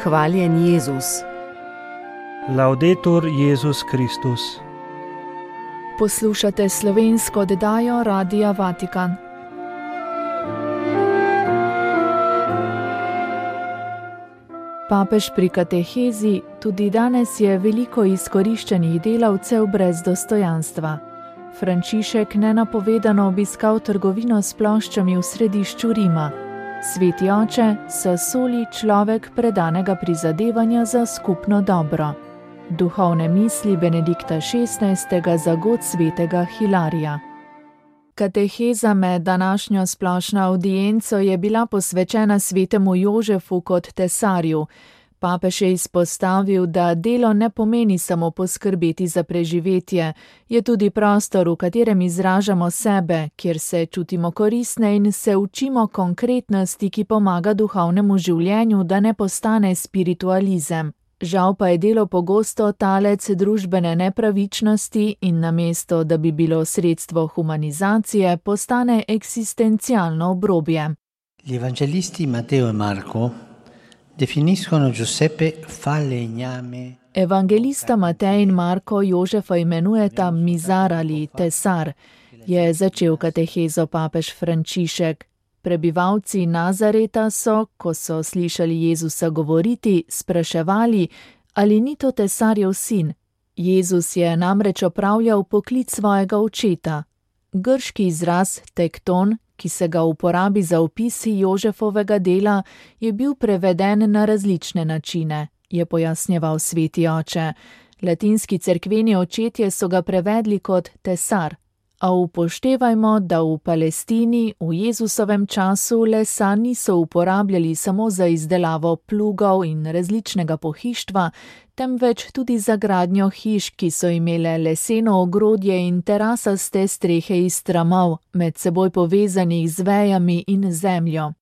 Hvaljen Jezus. Laudetur Jezus Kristus. Poslušate slovensko oddajo Radia Vatikan. Papež pri katehezi: tudi danes je veliko izkoriščenih delavcev brez dostojanstva. Frančišek nenapovedano obiskal trgovino s ploščami v središču Rima. Sveti oče, soli človek predanega prizadevanja za skupno dobro. Duhovne misli Benedikta XVI. Za god svetega Hilarija. Kateheza med današnjo splošno avdienco je bila posvečena svetemu Jožefu kot tesarju. Papež je izpostavil, da delo ne pomeni samo poskrbeti za preživetje, je tudi prostor, v katerem izražamo sebe, kjer se čutimo koristne in se učimo konkretnosti, ki pomaga duhovnemu življenju, da ne postane spiritualizem. Žal pa je delo pogosto talec družbene nepravičnosti in namesto, da bi bilo sredstvo humanizacije, postane eksistencialno obrobje. Gli evangelisti Matteo e Marco definiscono Giuseppe falegname. Evangelista Matej in Marko Jožefa imenujeta mizar ali tesar, je začel katehezo papež Frančišek. Prebivalci Nazareta so, ko so slišali Jezusa govoriti, spraševali, ali ni to tesarjev sin. Jezus je namreč opravljal poklic svojega očeta. Grški izraz tekton, ki se ga uporabi za opis Jožefovega dela, je bil preveden na različne načine, je pojasnjeval sveti oče. Latinski cerkveni očetje so ga prevedli kot tesar. A upoštevajmo, da v Palestini v Jezusovem času lesa niso uporabljali samo za izdelavo plugov in različnega pohištva, temveč tudi za gradnjo hiš, ki so imele leseno ogrodje in terasaste strehe iz tramov, med seboj povezanih z vejami in zemljo.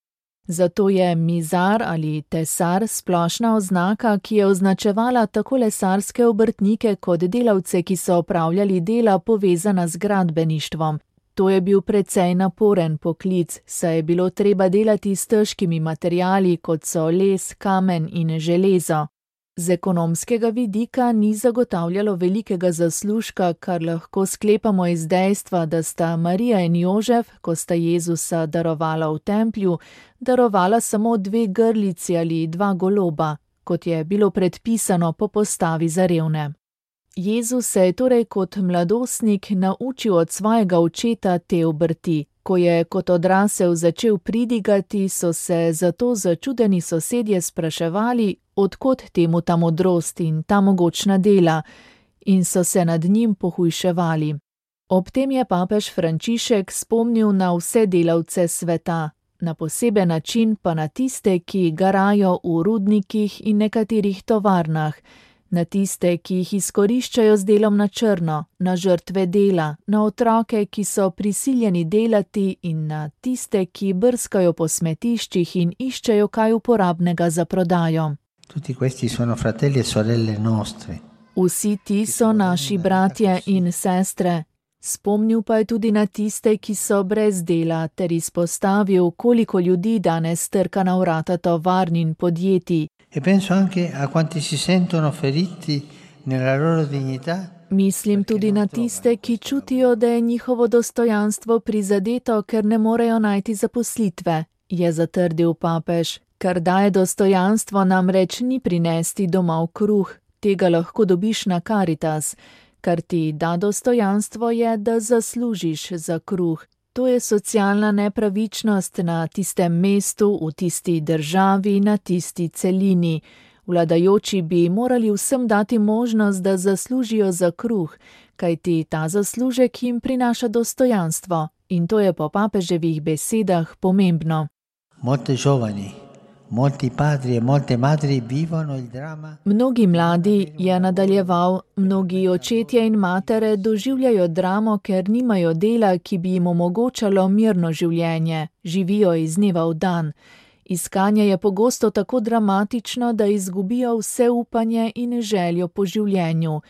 Zato je mizar ali tesar splošna oznaka, ki je označevala tako lesarske obrtnike kot delavce, ki so opravljali dela povezana z gradbeništvom. To je bil precej naporen poklic, saj je bilo treba delati s težkimi materiali, kot so les, kamen in železo. Z ekonomskega vidika ni zagotavljalo velikega zaslužka, kar lahko sklepamo iz dejstva, da sta Marija in Jožef, ko sta Jezusa darovala v templju, darovala samo 2 grlici ali 2 goloba, kot je bilo predpisano po postavi za revne. Jezus se je torej kot mladostnik naučil od svojega očeta te obrti. Ko je kot odrasel začel pridigati, so se zato začudeni sosedje spraševali, od kod temu ta modrost in ta mogočna dela, in so se nad njim pohujševali. Ob tem je papež Frančišek spomnil na vse delavce sveta, na poseben način pa na tiste, ki garajo v rudnikih in nekaterih tovarnah, na tiste, ki jih izkoriščajo z delom na črno, na žrtve dela, na otroke, ki so prisiljeni delati, in na tiste, ki brskajo po smetiščih in iščejo kaj uporabnega za prodajo. Tutti questi sono fratelli e sorelle nostre. Vsi ti so naši bratje in sestre. Spomnil pa je tudi na tiste, ki so brez dela, ter izpostavil, koliko ljudi danes trka na vrata tovarn in podjetij. E penso anche a quanti si sentono feriti nella loro dignità. Mislim tudi na tiste, ki čutijo, da je njihovo dostojanstvo prizadeto, ker ne morejo najti zaposlitve, je zatrdil papež. Kar daje dostojanstvo, namreč ni prinesti domov kruh, tega lahko dobiš na Karitas. Kar ti da dostojanstvo je, da zaslužiš za kruh. To je socialna nepravičnost na tistem mestu, v tisti državi, na tisti celini. Vladajoči bi morali vsem dati možnost, da zaslužijo za kruh, kajti ta zaslužek jim prinaša dostojanstvo. In to je po papeževih besedah pomembno. Molte giovani, molti padri e molte madri vivono il dramma. Mnogi mladi, je nadaljeval, mnogi očetje in matere doživljajo dramo, ker nimajo dela, ki bi jim omogočalo mirno življenje, živijo iz dneva v dan. Iskanje je pogosto tako dramatično, da izgubijo vse upanje in željo po življenju.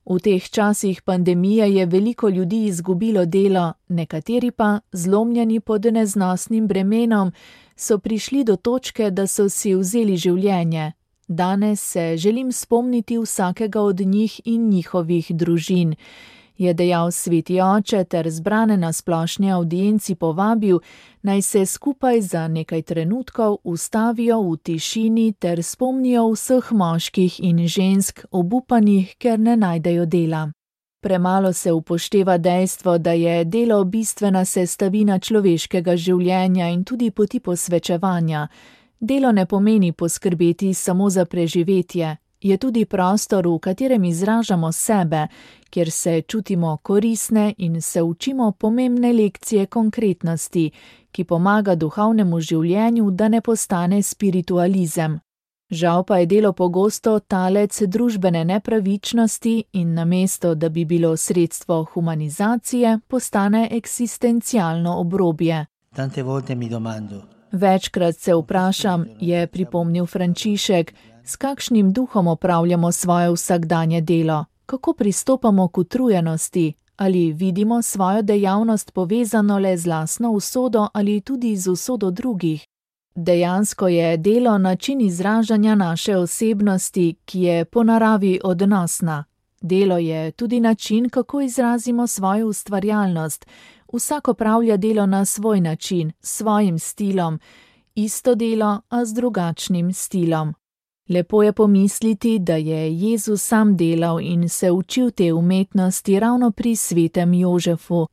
V teh časih pandemije je veliko ljudi izgubilo delo, nekateri pa, zlomljeni pod neznosnim bremenom, so prišli do točke, da so si vzeli življenje. Danes se želim spomniti vsakega od njih in njihovih družin, je dejal sveti oče ter zbrane na splošni avdienci povabil, naj se skupaj za nekaj trenutkov ustavijo v tišini ter spomnijo vseh moških in žensk obupanih, ker ne najdejo dela. Premalo se upošteva dejstvo, da je delo bistvena sestavina človeškega življenja in tudi poti posvečevanja. Delo ne pomeni poskrbeti samo za preživetje, je tudi prostor, v katerem izražamo sebe, kjer se čutimo koristne in se učimo pomembne lekcije konkretnosti, ki pomaga duhovnemu življenju, da ne postane spiritualizem. Žal pa je delo pogosto talec družbene nepravičnosti in namesto, da bi bilo sredstvo humanizacije, postane eksistencialno obrobje. Tante volte mi domando. Večkrat se vprašam, je pripomnil Frančišek, s kakšnim duhom opravljamo svoje vsakdanje delo, kako pristopamo k utrujenosti, ali vidimo svojo dejavnost povezano le z lastno usodo ali tudi z usodo drugih. Dejansko je delo način izražanja naše osebnosti, ki je po naravi odnosna. Delo je tudi način, kako izrazimo svojo ustvarjalnost. Vsak opravlja delo na svoj način, s svojim stilom, isto delo, a z drugačnim stilom. Lepo je pomisliti, da je Jezus sam delal in se učil te umetnosti ravno pri svetem Jožefu.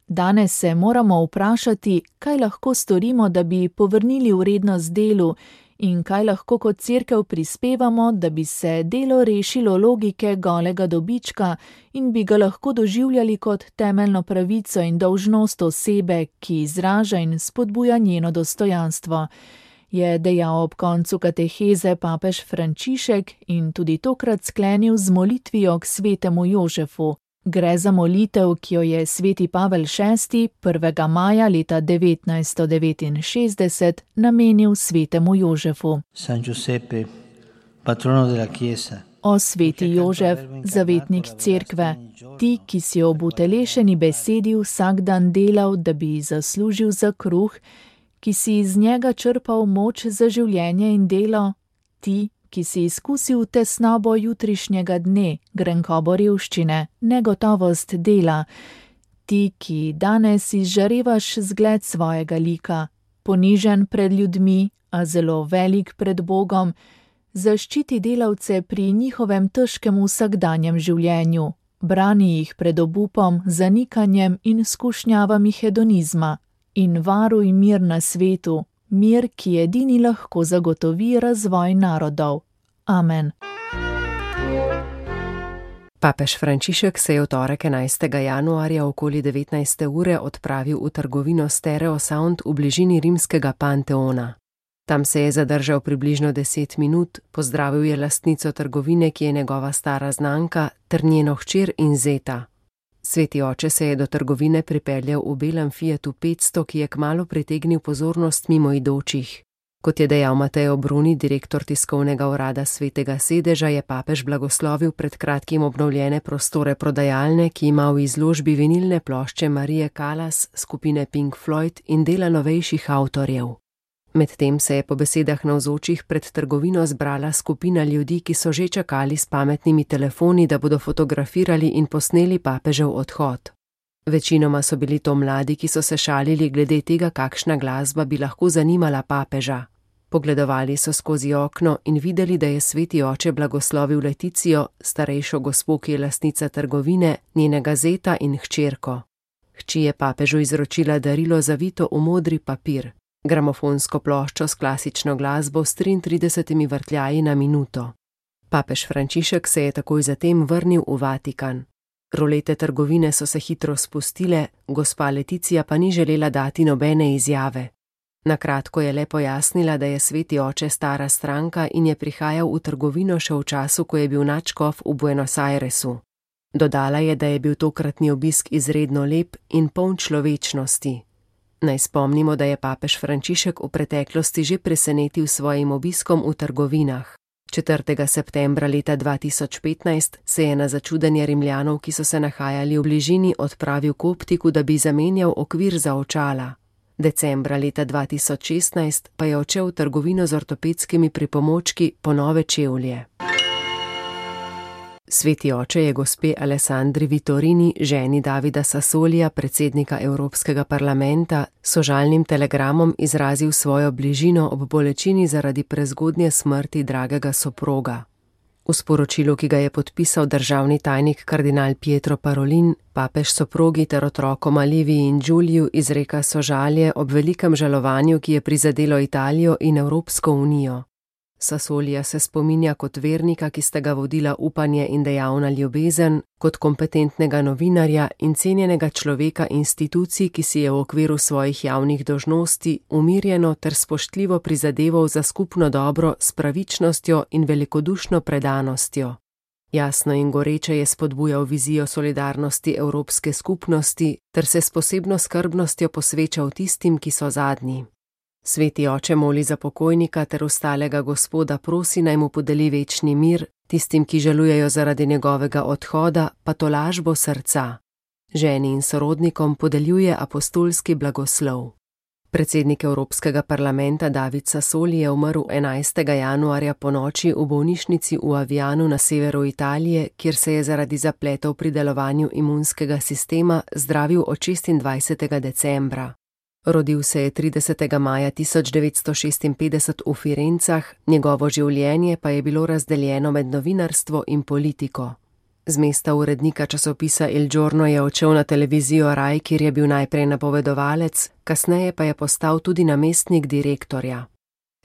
Danes se moramo vprašati, kaj lahko storimo, da bi povrnili vrednost delu in kaj lahko kot cerkev prispevamo, da bi se delo rešilo logike golega dobička in bi ga lahko doživljali kot temeljno pravico in dolžnost osebe, ki izraža in spodbuja njeno dostojanstvo, je dejal ob koncu kateheze papež Frančišek in tudi tokrat sklenil z molitvijo k svetemu Jožefu. Gre za molitev, ki jo je sveti Pavel VI. 1. maja leta 1969 namenil svetemu Jožefu. San Giuseppe, patrono della Chiesa. O sveti Jožef, zavetnik cerkve, ti, ki si ob utelešeni besedi vsak dan delal, da bi zaslužil za kruh, ki si iz njega črpal moč za življenje in delo, ti, ki si izkusil tesnobo jutrišnjega dne, grenkobo revščine, negotovost dela, ti, ki danes izžarevaš zgled svojega lika, ponižen pred ljudmi, a zelo velik pred Bogom, zaščiti delavce pri njihovem težkem vsakdanjem življenju, brani jih pred obupom, zanikanjem in skušnjavami hedonizma in varuj mir na svetu, mir, ki edini lahko zagotovi razvoj narodov. Amen. Papež Frančišek se je v torek 11. januarja okoli 19. ure odpravil v trgovino Stereo Sound v bližini rimskega Panteona. Tam se je zadržal približno 10 minut, pozdravil je lastnico trgovine, ki je njegova stara znanka, ter njeno hčer in zeta. Sveti oče se je do trgovine pripeljal v belem Fiatu 500, ki je kmalu pritegnil pozornost mimoidočih. Kot je dejal Mateo Bruni, direktor tiskovnega urada Svetega sedeža, je papež blagoslovil pred kratkim obnovljene prostore prodajalne, ki ima v izložbi vinilne plošče Marije Callas, skupine Pink Floyd in dela novejših avtorjev. Medtem se je po besedah navzočih pred trgovino zbrala skupina ljudi, ki so že čakali s pametnimi telefoni, da bodo fotografirali in posneli papežev odhod. Večinoma so bili to mladi, ki so se šalili glede tega, kakšna glasba bi lahko zanimala papeža. Pogledovali so skozi okno in videli, da je sveti oče blagoslovil Leticijo, starejšo gospo, ki je lastnica trgovine, njenega zeta in hčerko. Hči je papežu izročila darilo zavito v modri papir, gramofonsko ploščo s klasično glasbo s 33 vrtljaji na minuto. Papež Frančišek se je takoj zatem vrnil v Vatikan. Rolete trgovine so se hitro spustile, gospa Leticija pa ni želela dati nobene izjave. Na kratko je le pojasnila, da je sveti oče stara stranka in je prihajal v trgovino še v času, ko je bil nadškof v Buenos Airesu. Dodala je, da je bil tokratni obisk izredno lep in poln človečnosti. Naj spomnimo, da je papež Frančišek v preteklosti že presenetil s svojim obiskom v trgovinah. 4. septembra leta 2015 se je na začudenje Rimljanov, ki so se nahajali v bližini, odpravil k optiku, da bi zamenjal okvir za očala. Decembra leta 2016 pa je odšel v trgovino z ortopedskimi pripomočki po nove čevlje. Sveti oče je gospe Alessandri Vitorini, ženi Davida Sassolija, predsednika Evropskega parlamenta, sožalnim telegramom izrazil svojo bližino ob bolečini zaradi prezgodnje smrti dragega soproga. V sporočilu, ki ga je podpisal državni tajnik kardinal Pietro Parolin, papež soprogi ter otrokoma Liviji in Giuliju izreka sožalje ob velikem žalovanju, ki je prizadelo Italijo in Evropsko unijo. Sassolija se spominja kot vernika, ki sta ga vodila upanje in dejavna ljubezen, kot kompetentnega novinarja in cenjenega človeka institucij, ki si je v okviru svojih javnih dolžnosti umirjeno ter spoštljivo prizadeval za skupno dobro s pravičnostjo in velikodušno predanostjo. Jasno in goreče je spodbujal vizijo solidarnosti Evropske skupnosti ter se s posebno skrbnostjo posvečal tistim, ki so zadnji. Sveti oče moli za pokojnika ter ostalega Gospoda prosi, naj mu podeli večni mir, tistim, ki žalujejo zaradi njegovega odhoda, pa tolažbo srca. Ženi in sorodnikom podeljuje apostolski blagoslov. Predsednik Evropskega parlamenta David Sassoli je umrl 11. januarja ponoči v bolnišnici v Avianu na severu Italije, kjer se je zaradi zapletov pri delovanju imunskega sistema zdravil od 26. decembra. Rodil se je 30. maja 1956 v Firencah, njegovo življenje pa je bilo razdeljeno med novinarstvo in politiko. Z mesta urednika časopisa Il Giorno je odšel na televizijo Rai, kjer je bil najprej napovedovalec, kasneje pa je postal tudi namestnik direktorja.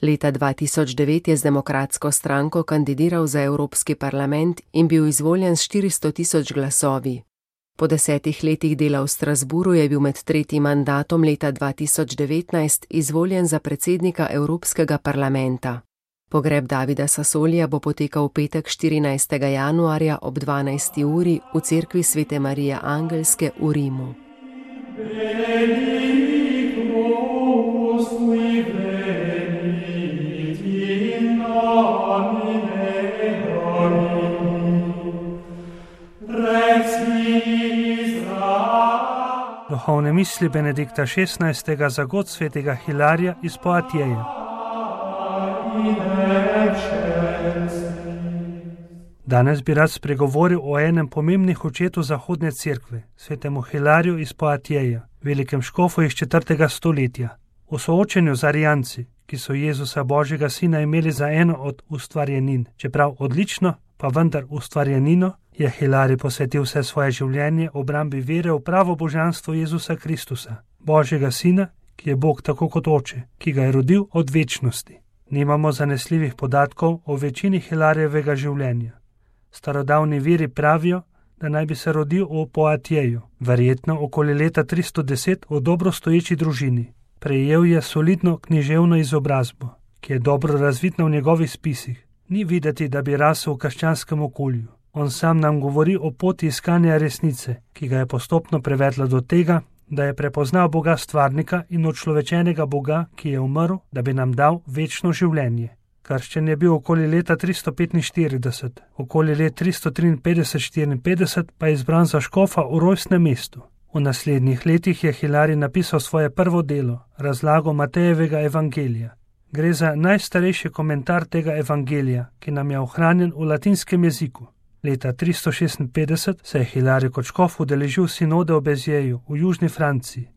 Leta 2009 je z demokratsko stranko kandidiral za Evropski parlament in bil izvoljen s 400.000 glasovi. Po 10 letih dela v Strasburu je bil med tretjim mandatom leta 2019 izvoljen za predsednika Evropskega parlamenta. Pogreb Davida Sassolija bo potekal v petek 14. januarja ob 12. uri v cerkvi Svete Marije Angelske v Rimu. Duhovne misli Benedikta XVI. Za god svetega Hilarija iz Poatjeja. Danes bi rad spregovoril o enem pomembnih očetu Zahodne cerkve, svetemu Hilariju iz Poatjeja, velikem škofu iz 4. stoletja. V soočenju z Arijanci, ki so Jezusa Božjega sina imeli za eno od ustvarjenin, čeprav odlično, pa vendar ustvarjenino, je Hilarij posvetil vse svoje življenje obrambi vere v pravo božanstvo Jezusa Kristusa, Božjega sina, ki je Bog tako kot oče, ki ga je rodil od večnosti. Nimamo zanesljivih podatkov o večini Hilarijevega življenja. Starodavni viri pravijo, da naj bi se rodil v Poatjeju, verjetno okoli leta 310 v dobro stoječi družini. Prejel je solidno književno izobrazbo, ki je dobro razvidna v njegovih spisih. Ni videti, da bi rasel v krščanskem okolju. On sam nam govori o poti iskanja resnice, ki ga je postopno prevedla do tega, da je prepoznal Boga stvarnika in očlovečenega Boga, ki je umrl, da bi nam dal večno življenje. Krščen je bil okoli leta 345, okoli let 353-54 pa je izbran za škofa v rojstnem mestu. V naslednjih letih je Hilarij napisal svoje prvo delo, razlago Matejevega evangelija. Gre za najstarejši komentar tega evangelija, ki nam je ohranjen v latinskem jeziku. Leta 356 se je Hilarij kot škof udeležil sinode v Bezjeju v južni Franciji,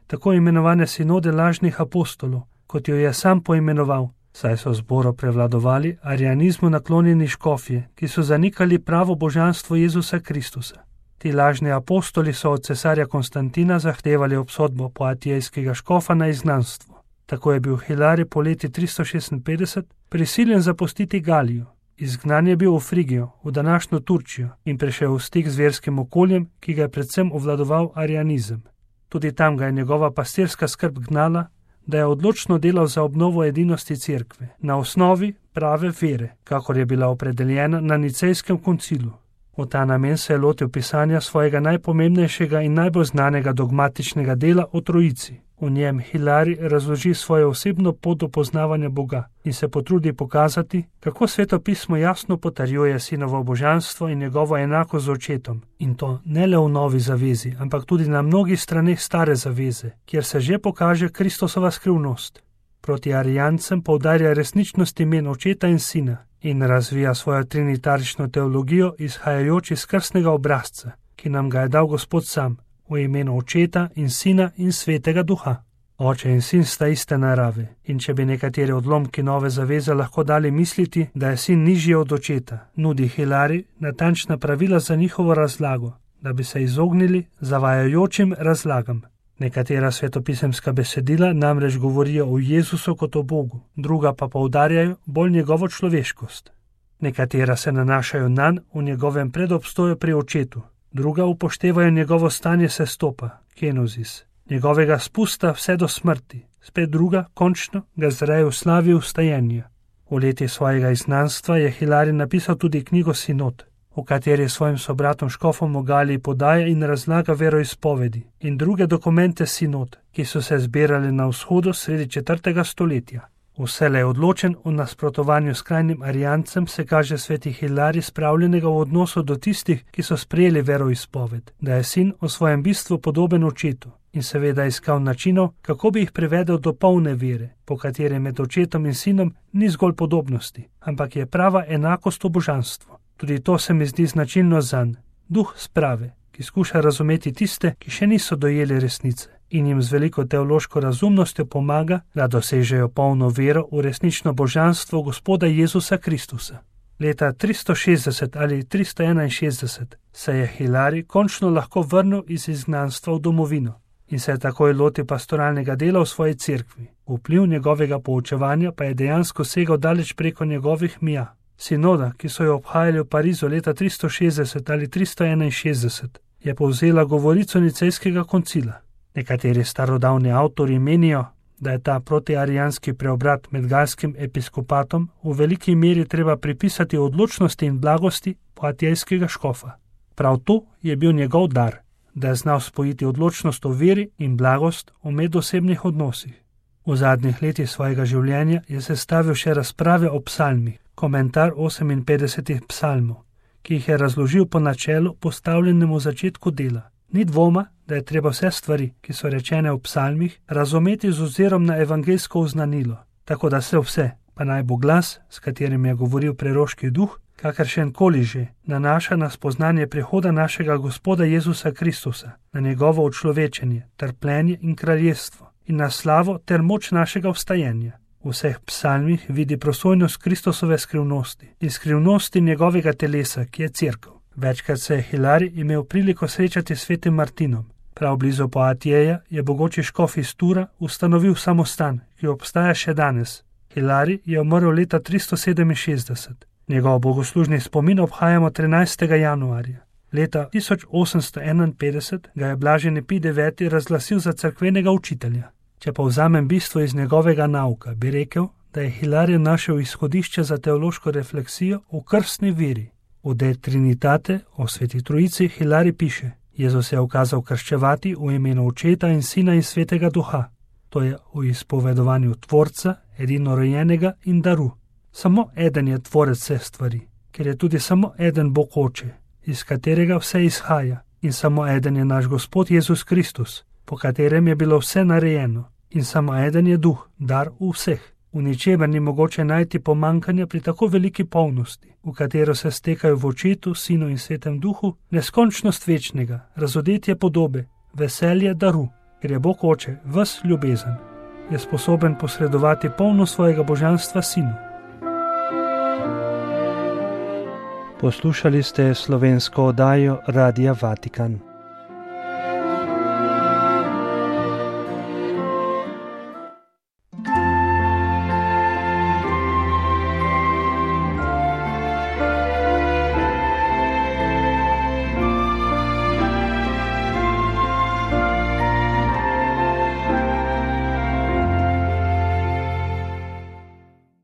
tako imenovane sinode lažnih apostolov, kot jo je sam poimenoval, saj so zboro prevladovali arijanizmu naklonjeni škofje, ki so zanikali pravo božanstvo Jezusa Kristusa. Ti lažni apostoli so od cesarja Konstantina zahtevali obsodbo poatijskega škofa na izgnanstvo. Tako je bil Hilarij po leti 356 prisiljen zapustiti Galijo. Izgnan je bil v Frigijo, v današnjo Turčijo in prišel v stik z verskim okoljem, ki ga je predvsem obvladoval arijanizem. Tudi tam ga je njegova pastirska skrb gnala, da je odločno delal za obnovo edinosti cerkve, na osnovi prave vere, kakor je bila opredeljena na Nicejskem koncilu. V ta namen se je lotil pisanja svojega najpomembnejšega in najbolj znanega dogmatičnega dela o Trojici. V njem Hilari razloži svojo osebno pot do poznavanja Boga in se potrudi pokazati, kako Sveto pismo jasno potrjuje sinovo božanstvo in njegovo enako z očetom. In to ne le v novi zavezi, ampak tudi na mnogih straneh stare zaveze, kjer se že pokaže Kristusova skrivnost. Proti arijancem poudarja resničnost imen očeta in sina in razvija svojo trinitarično teologijo izhajajoč iz krstnega obrazca, ki nam ga je dal Gospod sam, v imenu Očeta in Sina in Svetega Duha. Oče in sin sta iste narave, in če bi nekateri odlomki nove zaveze lahko dali misliti, da je sin nižji od očeta, nudi Hilari natančna pravila za njihovo razlago, da bi se izognili zavajajočim razlagam. Nekatera svetopisemska besedila namreč govorijo o Jezusu kot o Bogu, druga pa poudarjajo bolj njegovo človeškost. Nekatera se nanašajo nanj v njegovem predobstoju pri očetu, druga upoštevajo njegovo stanje sestopa, kenozis, njegovega spusta vse do smrti, spet druga, končno, ga zreje v slavi vstajenja. V leti svojega izgnanstva je Hilari napisal tudi knjigo Sinod, v kateri svojim sobratom škofom v Galiji podaja in razlaga veroizpovedi in druge dokumente Sinod, ki so se zbirali na vzhodu sredi 4. stoletja. Vselej odločen v nasprotovanju skrajnim arijancem se kaže sveti Hilari spravljenega v odnosu do tistih, ki so sprejeli veroizpoved, da je sin v svojem bistvu podoben očetu in seveda iskal načinov, kako bi jih privedel do polne vere, po kateri med očetom in sinom ni zgolj podobnosti, ampak je prava enakost v božanstvu. Tudi to se mi zdi značilno zanj, duh sprave, ki skuša razumeti tiste, ki še niso dojeli resnice in jim z veliko teološko razumnostjo pomaga, da dosežejo polno vero v resnično božanstvo Gospoda Jezusa Kristusa. Leta 360 ali 361 se je Hilari končno lahko vrnil iz izgnanstva v domovino in se je takoj lotil pastoralnega dela v svoji cerkvi. Vpliv njegovega poučevanja pa je dejansko segal daleč preko njegovih mija. Sinoda, ki so jo obhajali v Parizu leta 360 ali 361, je povzela govorico nicejskega koncila. Nekateri starodavni avtori menijo, da je ta protiarijanski preobrat med galskim episkopatom v veliki meri treba pripisati odločnosti in blagosti poatijskega škofa. Prav to je bil njegov dar, da je znal spojiti odločnost v veri in blagost v medosebnih odnosih. V zadnjih letih svojega življenja je sestavil še razprave o psalmih, komentar 58 psalmov, ki jih je razložil po načelu postavljenemu v začetku dela. Ni dvoma, da je treba vse stvari, ki so rečene v psalmih, razumeti z ozirom na evangeljsko oznanilo, tako da se vse, pa naj bo glas, s katerim je govoril preroški duh, kakršen koli že, nanaša na spoznanje prihoda našega Gospoda Jezusa Kristusa, na njegovo učlovečenje, trpljenje in kraljestvo, in na slavo ter moč našega vstajenja. V vseh psalmih vidi prosojnost Kristusove skrivnosti in skrivnosti njegovega telesa, ki je cerkev. Večkrat se je Hilari imel priliko srečati s svetim Martinom. Prav blizu Poatijeja je bogoči škof iz Tura ustanovil samostan, ki obstaja še danes. Hilari je umrl leta 367. Njegov bogoslužni spomin obhajamo 13. januarja. Leta 1851 ga je blaženi Pij IX razglasil za cerkvenega učitelja. Če povzamem bistvo iz njegovega nauka, bi rekel, da je Hilari našel izhodišče za teološko refleksijo v krstni veri. V De Trinitate o Sveti Trojici Hilari piše: Jezus je ukazal krščevati v imenu Očeta in Sina in Svetega Duha. To je v izpovedovanju Tvorca, edinorojenega in daru. Samo eden je tvorec vseh stvari, ker je tudi samo eden Bog Oče, iz katerega vse izhaja, in samo eden je naš Gospod Jezus Kristus, po katerem je bilo vse narejeno, in samo eden je duh, dar v vseh. V ničemer ni mogoče najti pomankanja pri tako veliki polnosti, v katero se stekajo v Očetu, Sinu in Svetem Duhu, neskončnost večnega, razodetje podobe, veselje daru, ker je Bog Oče ves ljubezen, je sposoben posredovati polno svojega božanstva Sinu. Poslušali ste slovensko oddajo Radia Vatikan.